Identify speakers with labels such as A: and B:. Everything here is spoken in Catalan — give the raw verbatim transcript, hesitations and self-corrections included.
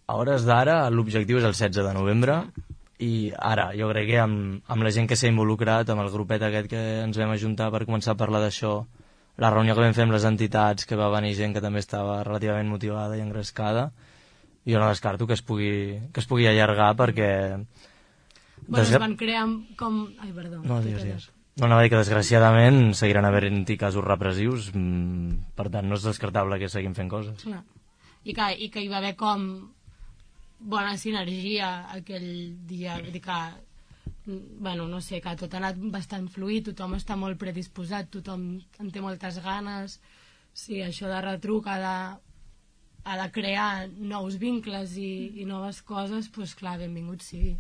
A: A hores d'ara l'objectiu és el setze de novembre i ara jo crec que amb, amb la gent que s'ha involucrat, amb el grupet aquest que ens vam ajuntar per començar a parlar d'això, la reunió que vam fer amb les entitats, que va venir gent que també estava relativament motivada i engrescada, jo no descarto que es pugui, que es pugui allargar perquè...
B: Bueno, es van crear com... Ai, perdó.
A: No, digues, digues. No, anava a dir que desgraciadament seguiran havent-hi casos repressius, mmm, per tant no és descartable que seguim fent coses.
B: Clar. I que, i que hi va haver com bona sinergia aquell dia, vull dir que, bueno, no sé, que tot ha anat bastant fluid, tothom està molt predisposat, tothom en té moltes ganes, sí, això de retruc ha de, ha de crear nous vincles i, i noves coses, doncs clar, benvingut sigui.